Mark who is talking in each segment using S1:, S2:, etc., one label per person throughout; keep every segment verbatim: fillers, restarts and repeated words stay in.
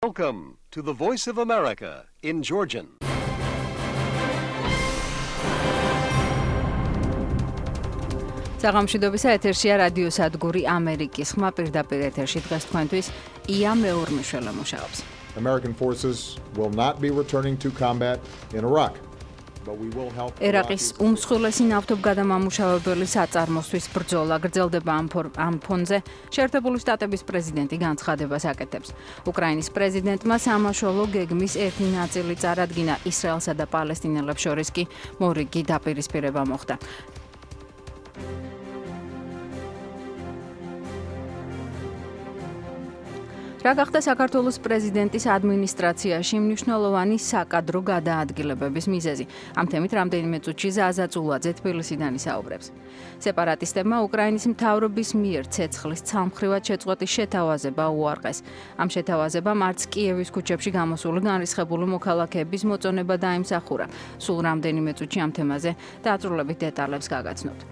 S1: Welcome to the Voice of America in Georgian.
S2: საღამოშიდობისა ეთერშია რადიო სადგური ამერიკის ხმა პირდაპირ ეთერში დღეს თქვენთვის ია მეურმიშველა მუშაობს.
S3: American forces will not be returning to combat in Iraq.
S2: ერაყის უმსხვილესი ნავთობგადამამუშავებელი საწარმოსთვის ბრძოლა გრძელდება ამ ფონზე, შეერთებული შტატების პრეზიდენტი განცხადებას აკეთებს. უკრაინის პრეზიდენტმა სამაშველო გეგმის ერთი ნაწილი წარადგინა, ისრაელსა და პალესტინელებს შორის კი მორიგი დაპირისპირება მოხდა. რა გახდა საქართველოს პრეზიდენტის ადმინისტრაციაში მნიშვნელოვანი საკადრო გადაადგილებების მიზეზი? ამ თემით რამდენიმე წუთში ზაზა წულაძე თბილისიდან ისაუბრებს. სეპარატისტებმა უკრაინის მთავრობის მიერ ცეცხლის ცალმხრივად შეწყვეტის შეთავაზება უარყეს. ამ შეთავაზებამ არც კიევის ქუჩებში გამოსული განრისხებული მოქალაქეების მოწონება დაიმსახურა. სულ რამდენიმე წუთში ამ თემაზე დაწვრილებით დეტალებს გაგაცნობთ.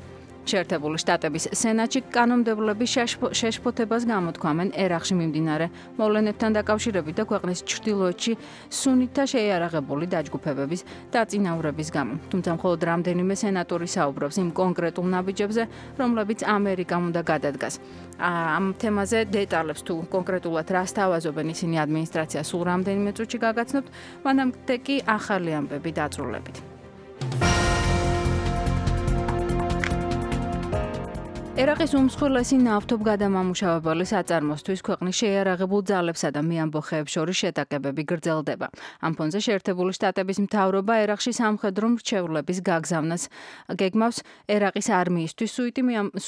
S2: შეერთებული შტატების სენატში კანონმდებლები შეშფოთებას გამოთქვამენ ერაყში მიმდინარე მოვლენებთან დაკავშირებით და ქვეყნის ჩრდილოეთში სუნიტთა შეიარაღებული დაჯგუფებების დაწინაურების გამო. თუმცა მხოლოდ რამდენიმე სენატორი საუბრობს იმ კონკრეტულ ნაბიჯებზე, რომლებიც ამერიკამ უნდა გადადგას. ამ თემაზე დეტალებს თუ კონკრეტულად რას თავაზობენ ისინი ადმინისტრაცია სულ რამდენიმე წუთში გაგაცნობთ, მანამდე კი ახალი ამბები დაწვრილებით. ერაყის უმსხვილესი ნავთობგადამამუშავებელი საწარმოსთვის ქვეყნის შეიარაღებულ ძალებსა და მეამბოხეებს შორის შეტაკებები გრძელდება. ამ ფონზე შეერთებული შტატების მთავრობა ერაყში სამხედრო მრჩევლების გაგზავნას გეგმავს ერაყის არმიისთვის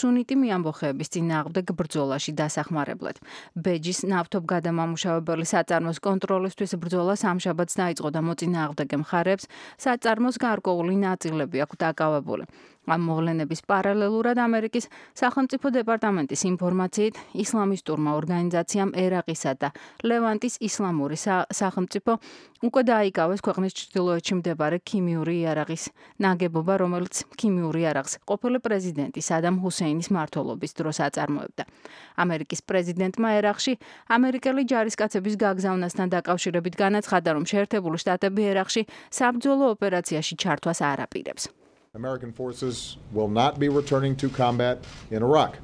S2: სუნიტი მეამბოხეების წინააღმდეგ ბრძოლაში დასახმარებლად. ბეჯის ნავთობგადამამუშავებელი საწარმოს კონტროლისთვის ბრძოლა სამშაბათს დაიწყო და მოწინააღმდეგე მხარეებს საწარმოს გარკვეული ნაწილები აქვს დაკავებული. ამ მოვლენების პარალელურად ამერიკის სახელმწიფო დეპარტამენტის ინფორმაციით ისლამისტურმა ორგანიზაციამ ერაყისა და ლევანტის ისლამური სახელმწიფო უკვე დაიკავეს ქვეყნის ჩრდილოეთში მდებარე ქიმიური იარაღის ნაგებობა, რომელიც ქიმიური იარაღს ყოფილი პრეზიდენტი სადამ ჰუსეინის მმართველობის დროს აწარმოებდა. ამერიკის პრეზიდენტმა ერაყში ამერიკელი ჯარისკაცების გაგზავნასთან დაკავშირებით განაცხადა, რომ შეერთებული შტატები ერაყში საბრძოლო ოპერაციაში ჩართვას არ აპირებს.
S3: American forces will not be returning to combat in Iraq.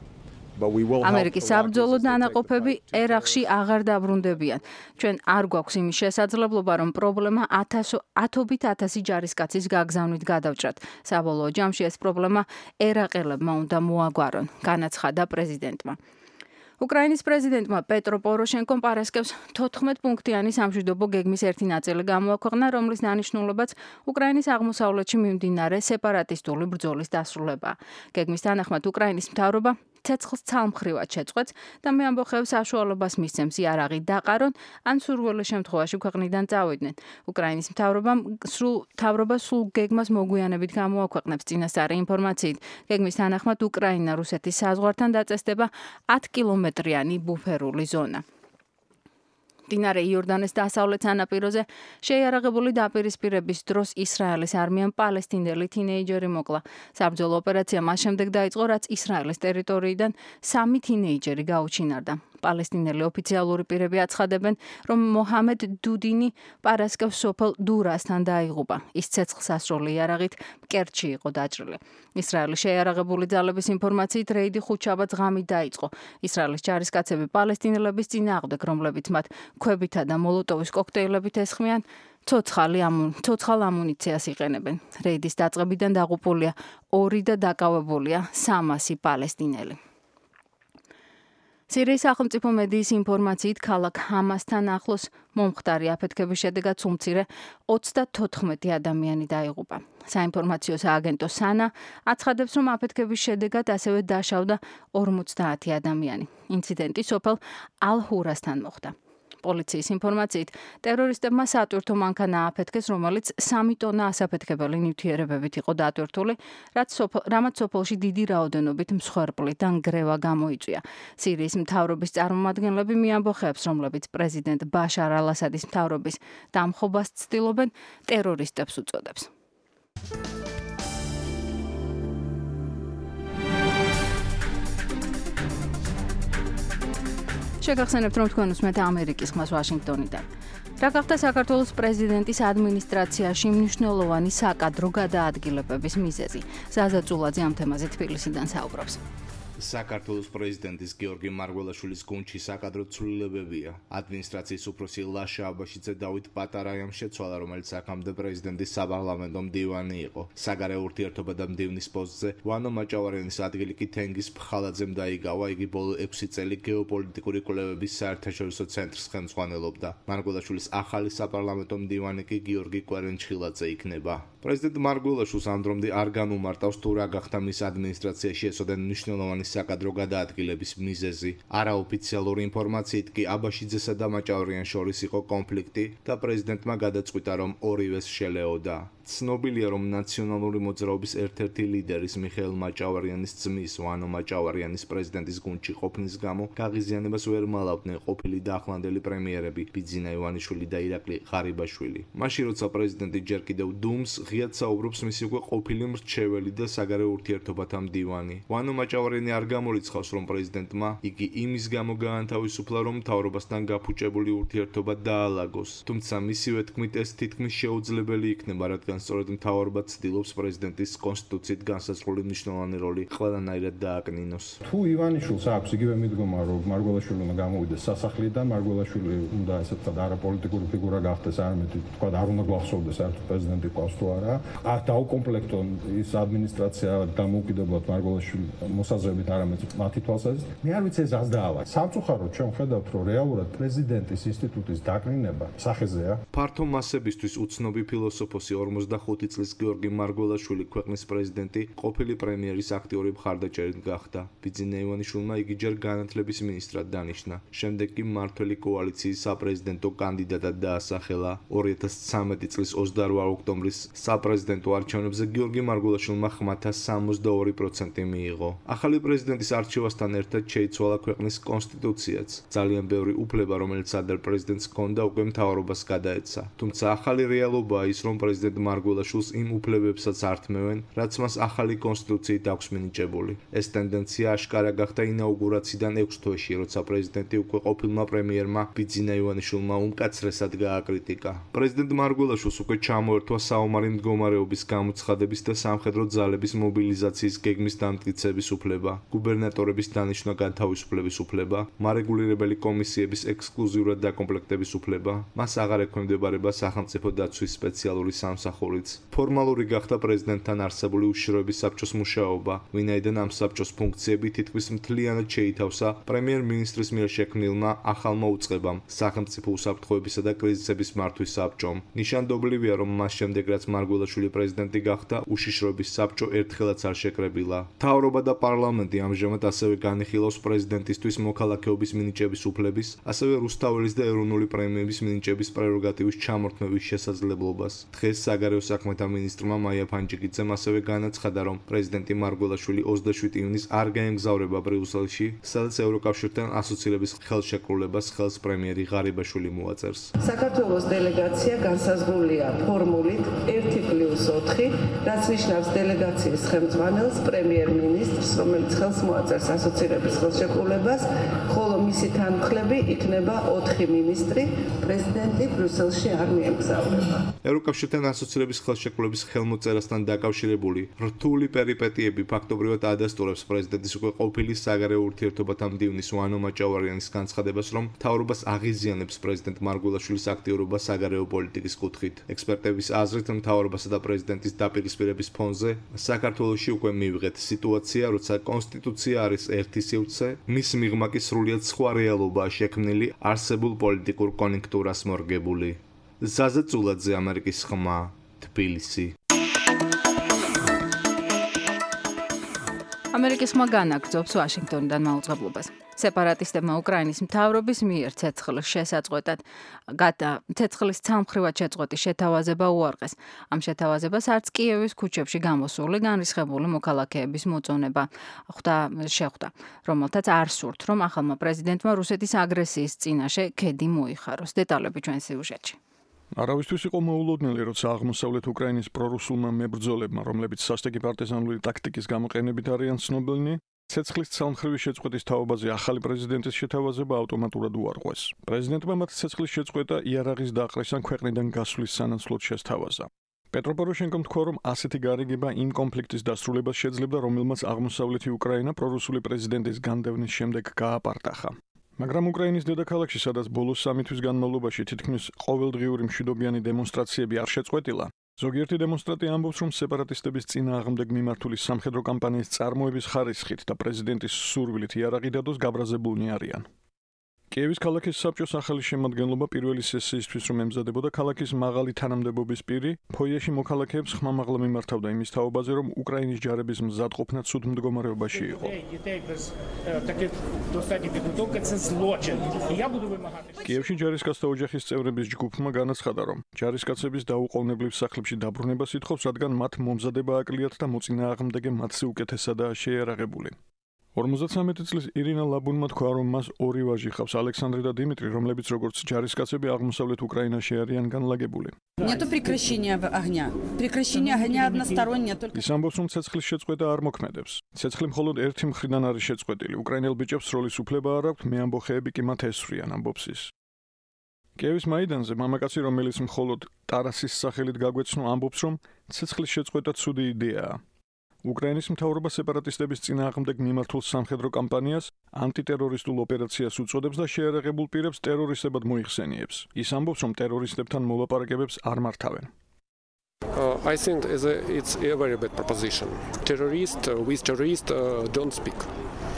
S3: But we will
S2: ამერიკის საბრძოლო დანაყოფები ერაყში აღარ დაბრუნდებიან. ჩვენ არ გვაქვს იმის შესაძლებლობა, რომ პრობლემა ათობით ათასი ჯარისკაცის გაგზავნით გადავჭრათ. საბოლოო ჯამში ეს პრობლემა ერაყელებმა უნდა მოაგვარონ, განაცხადა პრეზიდენტმა. უკრაინის პრეზიდენტმა პეტრო პოროშენკომ პარასკევს თოთხმეტ პუნქტიანი სამშვიდობო გეგმის ერთი ნაწილი გამოაქვეყნა, რომლის დანიშნულებაც უკრაინის აღმოსავლეთში მიმდინარე სეპარატისტული ბრძოლის დასრულებაა. გეგმის თანახმად უკრაინის მთავრობა ცეცხლს ცალმხრივად შეწყვეტს და მეამბოხეებს საშუალებას მისცემს იარაღი დაყარონ, ან სურვილი შემთხვევაში ქვეყნიდან წავიდნენ. უკრაინის მთავრობამ სრულ მთავრობა სულ გეგმას მოგვიანებით გამოაქვეყნებს. წინასწარი ინფორმაციით, გეგმის თანახმად უკრაინა რუსეთის საზღვართან დაწესდება ათი კილომეტრიანი ბუფერული ზონა. მდინარე იორდანეს დასავლეთ სანაპიროზე შეიარაღებული დაპირისპირების დროს ისრაელის არმიამ პალესტინელი თინეიჯერი მოკლა. საბრძოლო ოპერაცია მას შემდეგ დაიწყო, რაც ისრაელის ტერიტორიიდან სამი თინეიჯერი გაუჩინარდა. პალესტინელი ოფიციალური პირები აცხადებენ, რომ მოჰამედ დუდინი პარასკევს სოფელ დურასთან დაიღუპა. ის ცეცხლსასროლი იარაღით კერტში იყო დაჭრილი. ისრაელის შეიარაღებული ძალების ინფორმაციით რეიდი ხუთშაბათს ღამით დაიწყო. ისრაელის ჯარისკაცები პალესტინელების წინააღმდეგ, რომლებიც მათ ქვებითა და მოლოტოვის კოქტეილებით ესხმიან, ცოცხალ ამუნიციას იყენებენ. რეიდის დაწყებიდან დაღუპულია ორი და დაკავებულია სამასი პალესტინელი. სირიის სახელმწიფო მედიის ინფორმაციით ქალაქ ჰამასთან ახლოს მომხდარი აფეთქების შედეგად სულ მცირე ოცდათოთხმეტი ადამიანი დაიღუპა. საინფორმაციო სააგენტო სანა აცხადებს, რომ აფეთქების შედეგად ასევე დაშავდა ორმოცდაათი ადამიანი. ინციდენტი სოფელ ალ-ჰურასთან მოხდა. პოლიციის ინფორმაციით, ტერორისტებმა სატვირთო მანქანა ააფეთქეს, რომელიც სამი ტონა ასაფეთქებელი ნივთიერებებით იყო დატვირთული, რამაც სოფელში დიდი რაოდენობით მსხვერპლი და ნგრევა გამოიწვია. სირიის მთავრობის წარმომადგენლები მეამბოხეებს, რომლებიც პრეზიდენტ ბაშარ ალ-ასადის მთავრობის დამხობას ცდილობენ, ტერორისტებს უწოდებს. შეგახსენებთ, რომ თქვენ უსმენთ ამერიკის ხმას ვაშინგტონიდან. რა გახდა საქართველოს პრეზიდენტის ადმინისტრაციაში მნიშვნელოვანი საკადრო გადაადგილებების მიზეზი? ზაზა წულაძე ამ თემაზე თბილისიდან საუბრობს.
S4: საქართველოს პრეზიდენტის გიორგი მარგველაშვილის გუნდში საკადრო ცვლილებებია. ადმინისტრაციის უფროსი ლაშა აბაშიძე დავით პატარაიამ შეცვალა, რომელიც აქამდე პრეზიდენტის საპარლამენტო მდივანი იყო. საგარეო ურთიერთობა და მდივნის პოსტზე ვანო მაჭავარიანის ადგილი კი თენგიზ ფხალაძემ დაიგავა. იგი ბოლო ექვსი წელი გეოპოლიტიკური კვლევების საერთაშორისო ცენტრს ხელმძღვანელობდა. მარგველაშვილის ახალი საპარლამენტო მდივანი კი გიორგი კვერენჩხილაძე იქნება. პრეზიდენტ მარგველაშვილს ამ დრომდე არ განუმარტავს თუ რა გახდა მის ადმინისტრაციაში ესოდენ მნიშვნელოვანი საკადრო გადაადგილების მიზეზი. არაოფიციალური ინფორმაციით კი აბაშიძესა და მაჭავარიანს შორის იყო კონფლიქტი და პრეზიდენტმა გადაწყვიტა, რომ ორივეს შელეოდა. ცნობილია, რომ ნაციონალური მოძრაობის ერთ-ერთი ლიდერის მიხეილ მაჭავარიანის ძმის ვანო მაჭავარიანის პრეზიდენტის გუნდში ყოფნის გამო გაღიზიანებას ვერ მალავდნენ ყოფილი და ახლანდელი პრემიერები ბიძინა ივანიშვილი და ირაკლი ღარიბაშვილი. მაშინ როცა პრეზიდენტი ჯერ კიდევ დუმს ღიად საუბრობს მისი უკვე ყოფილი მრჩეველი და საგარეო ურთიერთობათა მდივანი. ვანო მაჭავარიანი არ გამორიცხავს, რომ პრეზიდენტმა იგი იმის გამო გაანთავისუფლა, რომ მთავრობასთან გაფუჭებული ურთიერთობა დაალაგოს. თუმცა მისივე თქმით ეს თითქმის შეუძლებელი იქნება, რადგან სწორედ მთავრობა ცდილობს პრეზიდენტის კონსტიტუციით განსაზღვრული მნიშვნელოვანი როლი ყველანაირად დააკნინოს.
S5: თუ ივანიშვილს აქვს იგივე მიდგომა, რომ მარგველაშვილი უნდა გამოვიდეს სასახლიდან, მარგველაშვილი უნდა ესე ვთქვათ არაპოლიტიკური ფიგურა გახდეს, არამედ თქვათ არ უნდა გვახსოვდეს საერთოდ პრეზიდენტი ყავს თუ არა. დაუკომპლექტონ ის ადმინისტრაცია დამოუკიდებლად მარგველაშვილი მოსაზრებით არამედ მათი თვალსაზრისით. მე არ ვიცი ეს ას დაავა. სამწუხაროდ ჩვენ ხედავთ, რომ რეალურად პრეზიდენტის ინსტიტუტის დაკნინება სახეზეა.
S4: ფართო მასებისთვის უცნობი ფილოსოფოსი ორმოცდახუთი წლის გიორგი მარგველაშვილი ქვეყნის პრეზიდენტი ყოფილი პრემიერის აქტიური მხარდაჭერით გახდა. ბიძინა ივანიშვილმა იგი ჯერ განათლების მინისტრად დანიშნა. შემდეგ კი მმართველი კოალიციის საპრეზიდენტო კანდიდატად დაასახელა. ორი ათას ცხრამეტი წლის ოცდაორ ოქტომბრის საპრეზიდენტო არჩევნებზე გიორგი მარგველაშვილმა ხმათა სამოცდაორი პროცენტი მიიღო. ახალი პრეზიდენტის არჩევასთან ერთად შეიცვალა ქვეყნის კონსტიტუციაც. ძალიან ბევრი უფლება, რომელიც ადრე პრეზიდენტს ჰქონდა, უკვე მთავრობას გადაეცა. თუმცა ახალი რეალობაა ის, რომ პრეზიდენტ მარგველაშვილს იმ უფლებებსაც ართმევენ, რაც მას ახალი კონსტიტუციით აქვს მინიჭებული. ეს ტენდენცია აშკარა გახდა ინაუგურაციიდან ექვს თვეში, როცა პრეზიდენტი უკვე ყოფილმა პრემიერმა ბიძინა ივანიშვილმა უმკაცრესად გააკრიტიკა. პრეზიდენტ მარგველაშვილს უკვე ჩამოერთვა საომარი მდგომარეობის გამოცხადების და სამხედრო ძალების მობილიზაციის გეგმის დამტკიცების უფლება, გუბერნატორების დანიშვნა განთავისუფლების უფლება, მარეგულირებელი კომისიების ექსკლუზიურად დაკომპლექტების უფლება. მას აღარ ექვემდებარება სახელმწიფო დაცვის სპეციალური სამსახურიც. ფორმალური გახდა პრეზიდენტთან არსებული უშიშროების საბჭოს მუშაობა, ვინაიდან ამ საბჭოს ფუნქციები თითქმის მთლიანად შეითავსა პრემიერ-მინისტრის მიერ შექმნილმა ახალმა უწყებამ, სახელმწიფო უსაფრთხოებისა და კრიზისების მართვის საბჭომ. ნიშანდობლივია, რომ მას შემდეგ, რაც მარგველაშვილი პრეზიდენტი გახდა, უშიშროების საბჭო ერთხელაც არ შეკრებილა. მთავრობა და პარლამენტი ამჟამად ასევე განიხილავს პრეზიდენტისთვის მოქალაქეობის მინიჭების უფლების, ასევე რუსთაველის და ეროვნული პრემიების მინიჭების პრეროგატივის ჩამორთმევის შესაძლებლობას. დღეს საგარეო საქმეთა მინისტრმა მაია ფანჯიკიძემ ასევე განაცხადა, რომ პრეზიდენტი მარგველაშვილი ოცდაშვიდი ივნისს არ გაემგზავრება ბრიუსელში, სადაც ევროკავშირთან ასოცირების ხელშეკრულებას ხელს პრემიერი ღარიბაშვილი მოაწერს.
S6: საქართველოს დელეგაცია განსაზღვრულია ფორმულით ერთი პლუს ოთხი, რაც ნიშნავს დელეგაციის ხელმძღვანელს პრემიერ-მინისტრს, რომელიც ხელს მოაწერს ასოცირების ხელშეკრულებას, ხოლო მისი თანმხლები იქნება ოთხი მინისტრი. პრეზიდენტი ბრიუსელში არ მიემგზავრება.
S4: ევროკავშირთან ასოცირების ხელშეკრულების ხელმოწერასთან დაკავშირებული რთული პერიპეტიები ფაქტობრივად ადასტურებს პრეზიდენტის უკვე ყოფილი საგარეო ურთიერთობათა მდივნის ვანო მაჭავარიანის განცხადებას, რომ მთავრობას აღიზიანებს პრეზიდენტ მარგველაშვილის აქტიურობა საგარეო პოლიტიკის კუთხით. ექსპერტების აზრით, მთავრობასა და პრეზიდენტის დაპირისპირების ფონზე საქართველოში უკვე მივიღეთ სიტუაცია, როცა კონსტიტუცია არის ერთი სივრცე, მის მიღმა კი სრულიად სხვა რეალობაა შექმნილი არსებულ პოლიტიკურ კონიუნქტურას მორგებული. ზაზა წულაძე, ამერიკის ხმა, თბილისი.
S2: ამერიკის ხმა განაგრძობს ვაშინგტონიდან მაუწყებლობას. სეპარატისტებმა უკრაინის მთავრობის მიერ ცეცხლის შესაწყვეტად ცეცხლის ცალმხრივად შეწყვეტის შეთავაზება უარყეს. ამ შეთავაზებას არც კიევის ქუჩებში გამოსული განრისხებული მოქალაქეების მოწონება შეხვდა, რომელთაც არ სურთ, რომ ახალმა პრეზიდენტმა რუსეთის აგრესიის წინაშე ქედი მოიხაროს. დეტალები ჩვენ სიუჟეტში.
S7: არავისთვის იყო მოულოდნელი, როცა აღმოსავლეთ უკრაინის პრორუსულმა მებრძოლებმა, რომლებიც სასტიკი პარტიზანული ტაქტიკის გამოყენებით არიან ცნობილნი, ცეცხლის ცალმხრივი შეწყვეტის თაობაზე ახალი პრეზიდენტის შეთავაზება ავტომატურად უარყვეს. პრეზიდენტმა მათ ცეცხლის შეწყვეტა იარაღის დაყრეს ან ქვეყნიდან გასვლის სანაცვლოდ შესთავაზა. პეტრო პოროშენკომ თქვა, რომ ასეთი გარიგება იმ კონფლიქტის დასრულებას შეძლებდა, რომელმაც აღმოსავლეთი უკრაინა პრორუსული პრეზიდენტის განდევნის შემდეგ გააპარტახა. მაგრამ უკრაინის დედაქალაქში, სადაც ბოლოს სამი თვის განმავლობაში თითქმის ყოველდღიური მშვიდობიანი დემონსტრაციები არ შეწყვეტილა, ზოგიერთი დემონსტრანტი ამბობს, რომ სეპარატისტების წინააღმდეგ მიმართული სამხედრო კამპანიის წარმოების ხარისხით და პრეზიდენტის სურვილით იარაღი დადოს გაბრაზებულნი არიან. კიევის ქალაქის საბჭოს ახალი შემადგენლობა პირველი სესიისთვის რომ ემზადებოდა, ქალაქის მაღალი თანამდებობის პირი ფოიეში მოქალაქეებს ხმამაღლა მიმართავდა იმის თაობაზე, რომ უკრაინის ჯარების მზადყოფნა ცუდ მდგომარეობაში იყო. კიევში ჯარისკაცთა ოჯახის წევრების ჯგუფმა განაცხადა, რომ ჯარისკაცების დაუყოვნებლივ სახლებში დაბრუნებას ითხოვს, რადგან მათ მომზადება აკლიათ და მოწინააღმდეგე მათზე უკეთესადაა შეიარაღებული. ორმოცდამეტი წლის ირინა ლაბუნმა თქვა, რომ მას ორი ვაჟი ჰყავს, ალექსანდრე და დიმიტრი, რომლებიც როგორც ჯარისკაცები აღმოსავლეთ უკრაინაში არიან განლაგებული.
S8: Нету прекращения огня. Прекращение огня одностороннее только.
S7: ის ამბობს, რომ ცეცხლის შეწყვეტა არ მოქმედებს. ცეცხლი მხოლოდ ერთი მხრიდან არის შეწყვეტილი. უკრაინელ ბიჭებს სროლის უფლება არ აქვთ, მეამბოხეები კი მათ ესვრიან, ამბობს ის. კიევის მაიდანზე მამაკაცი, რომელიც მხოლოდ ტარასის სახელით გაგვეცნო, ამბობს, რომ ცეცხლის შეწყვეტა ცუდი იდეაა. უკრაინის მთავრობა სეპარატისტების წინააღმდეგ მიმართულ სამხედრო კამპანიას ანტიტერორისტულ ოპერაციას უწოდებს და შეიარაღებულ პირებს ტერორისტებად მოიხსენიებს. ის ამბობს, რომ ტერორისტებთან მოლაპარაკებებს არ მართავენ.
S9: Uh, I think it's a very bad proposition. Terrorist uh, with terrorist uh, don't speak.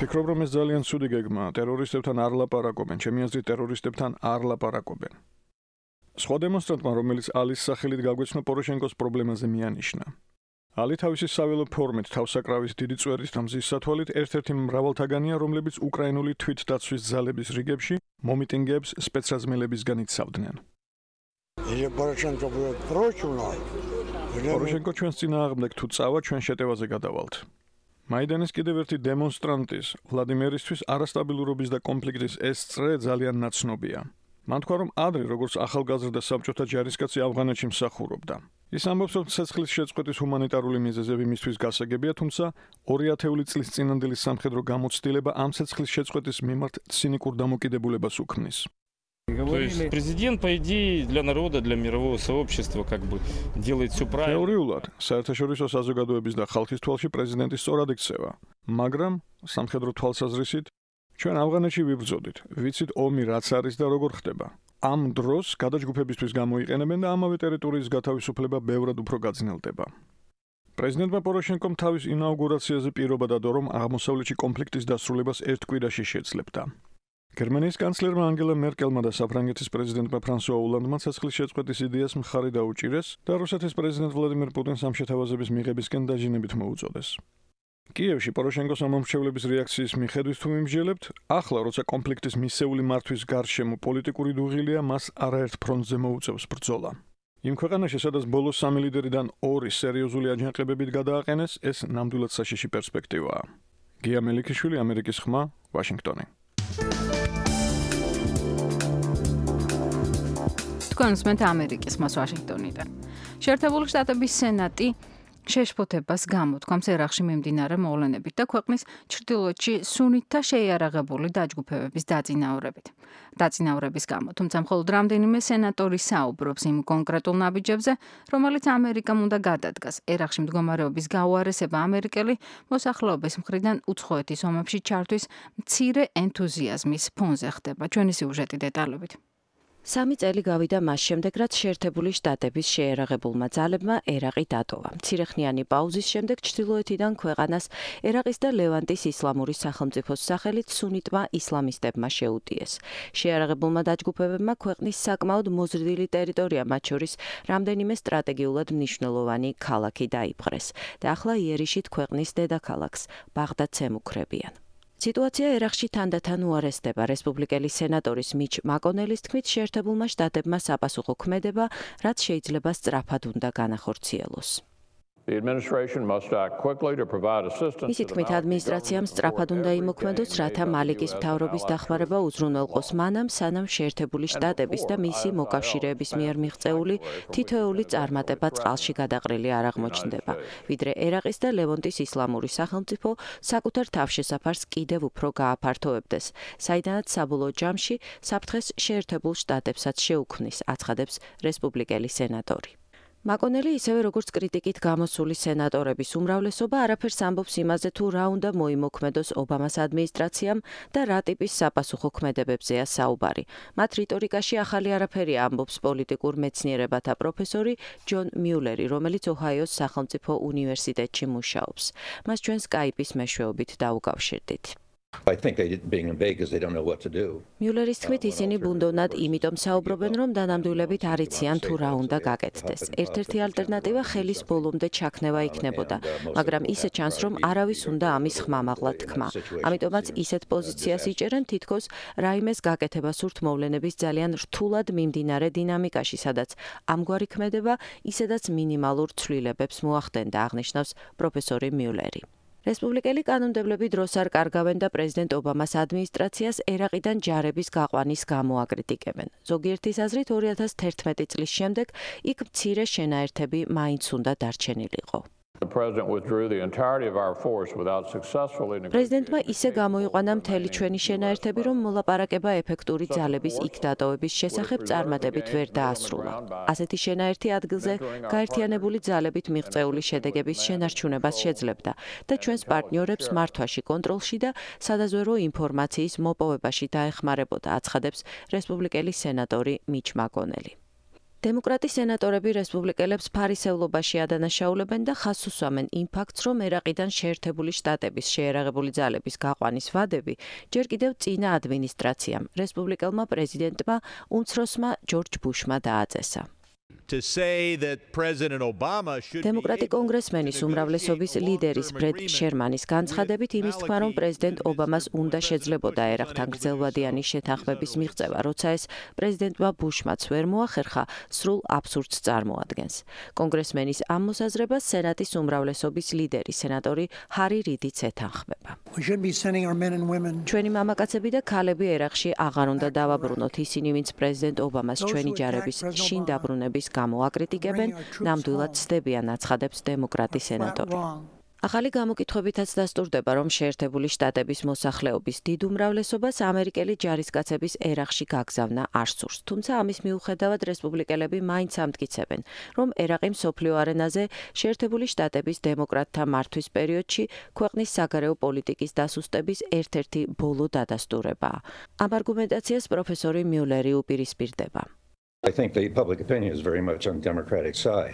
S7: ფიქრობ, რომ ეს ძალიან ცუდი გეგმაა. ტერორისტებთან არ ლაპარაკობენ. ჩემი აზრით, ტერორისტებთან არ ლაპარაკობენ. სხვა დემონსტრანტმა, რომელიც ალის სახელით გაგვეცნო, პოროშენკოს პრობლემაზე მიანიშნა. ალი თავისი საველო ფორმით თავსაკრავის დიდი წვერის და მზის სათვალით ერთ-ერთი მრავალთაგანია, რომლებიც უკრაინული თვითდაცვის ძალების რიგებში მომიტინგეებს სპეცრაზმელებისგან იცავდნენ. პოროშენკო ჩვენს წინააღმდეგ თუ წავა, ჩვენ შეტევაზე გადავალთ. მაიდანის კიდევ ერთი დემონსტრანტის, ვლადიმერისთვის არასტაბილურობის და კონფლიქტის ეს წრე ძალიან ნაცნობია. მან თქვა, რომ ადრე, როგორც ახალგაზრდა საბჭოთა ჯარისკაცი ავღანეთში მსახურობდა. ის ამბობს, რომ ცეცხლის შეწყვეტის ჰუმანიტარული მიზეზები მისთვის გასაგებია, თუმცა ორი ათეული წლის წინანდელი სამხედრო გამოცდილება ამ ცეცხლის შეწყვეტის მიმართ ცინიკურ დამოკიდებულებას უქმნის.
S10: То есть президент, по идее, для народа, для мирового сообщества как бы делает все правильно.
S7: Теориულად, საერთაშორისო საზოგადოების და ხალხის თვალში პრეზიდენტი სწორად იქცევა, მაგრამ სამხედრო თვალსაზრისით ჩვენ ავღანეთში ვიბრძოდით, ვიცით ომი რაც არის და როგორ ხდება. ამ დროს გადაჯგუფებისთვის გამოიყენებენ და ამავე ტერიტორიის გათავისუფლება ბევრად უფრო გაძნელდება. პრეზიდენტმა პოროშენკომ თავის ინაუგურაციაზე პირობა დადო, რომ აღმოსავლეთში კონფლიქტის დასრულებას ერთ კვირაში შეძლებდა. გერმანიის კანცლერმა ანგელა მერკელმა და საფრანგეთის პრეზიდენტმა ფრანსუა ოლანდმა ცეცხლის შეწყვეტის იდეას მხარი დაუჭირეს და რუსეთის პრეზიდენტ ვლადიმერ პუტინს ამ შეთავაზების მიღებისკენ დაჟინებით მოუწოდეს. კიევში პოროშენკოს ამომრჩევლების რეაქციის მიხედვით თუ მიმსჯელებთ, ახლა როცა კონფლიქტის მისეული მართვის გარშემო პოლიტიკური დუღილია, მას არაერთ ფრონტზე მოუწევს ბრძოლა. იმ ქვეყანაში, სადაც ბოლოს სამი ლიდერიდან ორი სერიოზული აჯანყებებით გადააყენეს, ეს ნამდვილად საშიში პერსპექტივაა. გია მელიქიშვილი, ამერიკის ხმა, ვაშინგტონი.
S2: თქვენ უსმენთ ამერიკის ხმას ვაშინგტონიდან. შეერთებული შტატების სენატი შეშფოთებას გამოთქვამს ერაყში მიმდინარე მოვლენებით და ქვეყნის ჩრდილოეთში სუნიტთა შეიარაღებული დაჯგუფებების დაწინაურებით. დაწინაურების გამო, თუმცა მხოლოდ რამდენიმე სენატორი საუბრობს იმ კონკრეტულ ნაბიჯებზე, რომელიც ამერიკამ უნდა გადადგას. ერაყში მდგომარეობის გაუარესება ამერიკელი მოსახლეობის მხრიდან უცხოეთის ომებში ჩართვის მცირე ენთუზიაზმის ფონზე ხდება. ჩვენი სიუჟეტი დეტალებით.
S11: სამი წელი გავიდა მას შემდეგ, რაც შეერთებული შტატების შეიარაღებულმა ძალებმა ერაყი დატოვა. მცირეხნიანი პაუზის შემდეგ ჩრდილოეთიდან ქვეყანას ერაყის და ლევანტის ისლამური სახელმწიფოს სახელით სუნიტმა ისლამისტებმა შეუტიეს. შეიარაღებულმა დაჯგუფებებმა ქვეყნის საკმაოდ მოზრდილი ტერიტორია, მათ შორის რამდენიმე სტრატეგიულად მნიშვნელოვანი ქალაქი დაიპყრეს და ახლა იერიშით ქვეყნის დედაქალაქს ბაღდადს ემუქრებიან. სიტუაცია ერაყში თანდათან უარესდება. რესპუბლიკელი სენატორის მიჩ მაკონელის თქმით, შეერთებულმა შტატებმა საპასუხო ქმედება, რაც შეიძლება სწრაფად უნდა განახორციელოს. მისი თქმით, ადმინისტრაციამ სწრაფად უნდა იმოქმედოს, რათა მალიკის მთავრობის დახმარება უზრუნველყოს მანამ, სანამ შეერთებული შტატების და მისი მოკავშირეების მიერ მიღწეული თითოეული წარმატება წყალში გადაყრილი არ აღმოჩნდება, ვიდრე ერაყის და ლევონტის ისლამური სახელმწიფო საკუთარ თავშესაფარს კიდევ უფრო გააფართოვებდეს, საიდანაც საბოლოო ჯამში საფრთხეს შეერთებულ შტატებსაც შეუქმნის, აცხადებს რესპუბლიკელი სენატორი. მაკონელი ისევე როგორც კრიტიკით გამოსული სენატორების უმრავლესობა არაფერს ამბობს იმაზე, თუ რა უნდა მოიმოქმედოს ობამას ადმინისტრაციამ და რა ტიპის საპასუხო ქმედებებზეა საუბარი. მათ რიტორიკაში ახალი არაფერია, ამბობს პოლიტიკურ მეცნიერებათა პროფესორი ჯონ მიულერი, რომელიც ოჰაიოს სახელმწიფო უნივერსიტეტში მუშაობს. მას ჩვენ სკაიპის მეშვეობით დაუკავშირდით. მიულერის თქმით, ისინი ბუნდოვნად იმიტომ საუბრობენ, რომ დანამდვილებით არ იციან თუ რა უნდა გაკეთდეს. ერთ-ერთი ალტერნატივა ხელის ბოლომდე ჩაქნევა იქნებოდა, მაგრამ ისე ჩანს, რომ არავის უნდა ამის ხმამაღლა თქმა. ამიტომაც ისეთ პოზიციას იჭერენ, თითქოს რაიმეს გაკეთება სურთ მოვლენების ძალიან რთულად მიმდინარე დინამიკაში, სადაც ამგვარი ქმედება ისედაც მინიმალურ ცვლილებებს მოახდენდა, აღნიშნავს პროფესორი მიულერი. რესპუბლიკელი კანონმდებლები დროს არ კარგავენ და პრეზიდენტ ობამას ადმინისტრაციას ერაყიდან ჯარების გაყვანის გამო აკრიტიკებენ. ზოგიერთის აზრით ორი ათას თერთმეტი წლის შემდეგ იქ მცირე შენაერთები მაინც უნდა დარჩენილიყო. პრეზიდენტმა ისე გამოიყვანა მთელი ჩვენი შენაერთები, რომ მოლაპარაკება ეფექტური ძალების იქ დატოვების შესახებ წარმატებით ვერ დაასრულა. ასეთი შენაერთი ადგილზე გაერთიანებული ძალებით მიღწეული შედეგების შენარჩუნებას შეძლებდა და ჩვენს პარტნიორებს მართვაში, კონტროლში და სადაზვერო ინფორმაციის მოპოვებაში დაეხმარებოდა, აცხადებს რესპუბლიკელი სენატორი მიჩ მაკონელი. დემოკრატი სენატორები რესპუბლიკელებს ფარისევლობაში ადანაშაულებენ და ხაზს უსვამენ იმ ფაქტს, რომ ერაყიდან შეერთებული შტატების შეერაღებული ძალების გაყვანის ვადები ჯერ კიდევ წინა ადმინისტრაციამ, რესპუბლიკელმა პრეზიდენტმა უმცროსმა ჯორჯ ბუშმა დააწესა. დემოკრატი კონგრესმენის უმრავლესობის ლიდერის ბრედ შერმანის განცხადებით იმის თქმა, რომ პრეზიდენტ ობამას უნდა შეძლებოდა ერაყთან გრძელვადიანი შეთანხმების მიღწევა, როცა ეს პრეზიდენტმა ბუშმაც ვერ მოახერხა, სრულ აბსურდს წარმოადგენს. კონგრესმენის ამ მოსაზრებას სენატის უმრავლესობის ლიდერი, სენატორი ჰარი რიდიც ეთანხმება. ჩვენი მამაკაცები და ქალები ერაყში აღარ უნდა დავაბრუნოთ, ისინი, ვინც პრეზიდენტ ობამას ჩვენი ჯარების შინ დაბრუნების გამო აკრიტიკებენ, ნამდვილად ცდებიან, აცხადებს დემოკრატი სენატორი. ახალი გამოკითხვებითაც დასტურდება, რომ შეერთებული შტატების მოსახლეობის დიდ უმრავლესობას ამერიკელი ჯარისკაცების ერაყში გაგზავნა არ სურს. თუმცა ამის მიუხედავად რესპუბლიკელები მაინც ამტკიცებენ, რომ ერაყი მსოფლიო არენაზე შეერთებული შტატების დემოკრატთა მართვის პერიოდში ქვეყნის საგარეო პოლიტიკის დასუსტების ერთ-ერთი ბოლო დადასტურებაა. ამ არგუმენტაციას პროფესორი მიულერი უპირისპირდება.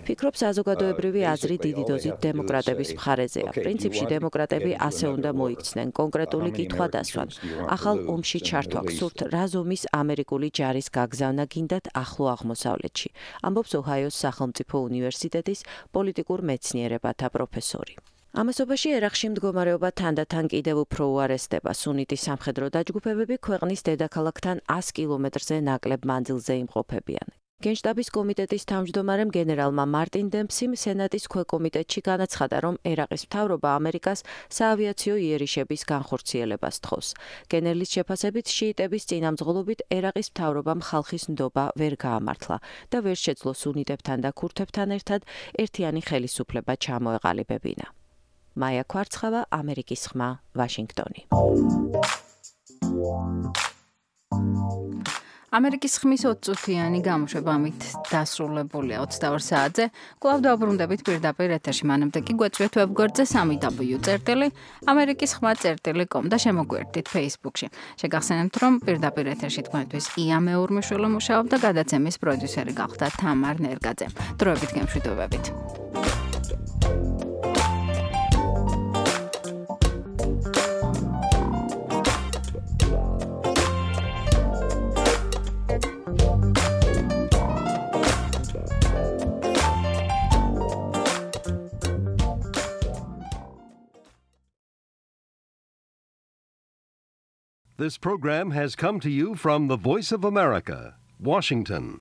S11: ფიქრობ, საზოგადოებრივი აზრი დიდი დოზით დემოკრატების მხარეზეა. პრინციპში დემოკრატები ასე უნდა მოიქცნენ, კონკრეტული კითხვა დასვან. ახალ ომში ჩართვა გსურთ, რა ზომის ამერიკული ჯარის გაგზავნა გინდათ ახლო აღმოსავლეთში, ამბობს ოჰაიოს სახელმწიფო უნივერსიტეტის პოლიტიკურ მეცნიერებათა პროფესორი. ამასობაში ერაყში მდგომარეობა თანდათან კიდევ უფრო უარესდება. სუნიტი სამხედრო დაჯგუფებები ქვეყნის დედაქალაქთან ას კილომეტრზე ნაკლებ მანძილზე იმყოფებიან. გენშტაბის კომიტეტის თავმჯდომარემ გენერალმა მარტინ დემპსიმ სენატის ქვეკომიტეტში განაცხადა, რომ ერაყის მთავრობა ამერიკას საავიაციო იერიშების განხორციელებას თხოვს. გენერლის შეფასებით, შიიტების წინამძღოლობით ერაყის მთავრობამ ხალხის ნდობა ვერ გაამართლა და ვერ შეძლო სუნიტებთან და ქურთებთან ერთად ერთიანი ხელისუფლება ჩამოეყალიბებინა. მაია კვარცხავა, ამერიკის ხმა, ვაშინგტონი.
S2: ამერიკის ხმის ოცწუთიანი გამოშვება ამით დასრულებულია ოცდაორ საათზე. კვლავ დავბრუნდებით პირდაპირ ეთერში, მანამდე კი გვეწვიეთ ვებგვერდზე სამი დაბლიუ წერტილი ამერიკის ხმა წერტილი კომ და შემოგვერდით Facebook-ში. შეგახსენებთ, რომ პირდაპირ ეთერში თქვენთვის ია მეურმიშვილი მუშაობდა, გადაცემის პროდიუსერი გახდა თამარ ნერგაძე. დროებით გემშვიდობებით.
S1: This program has come to you from the Voice of America, Washington.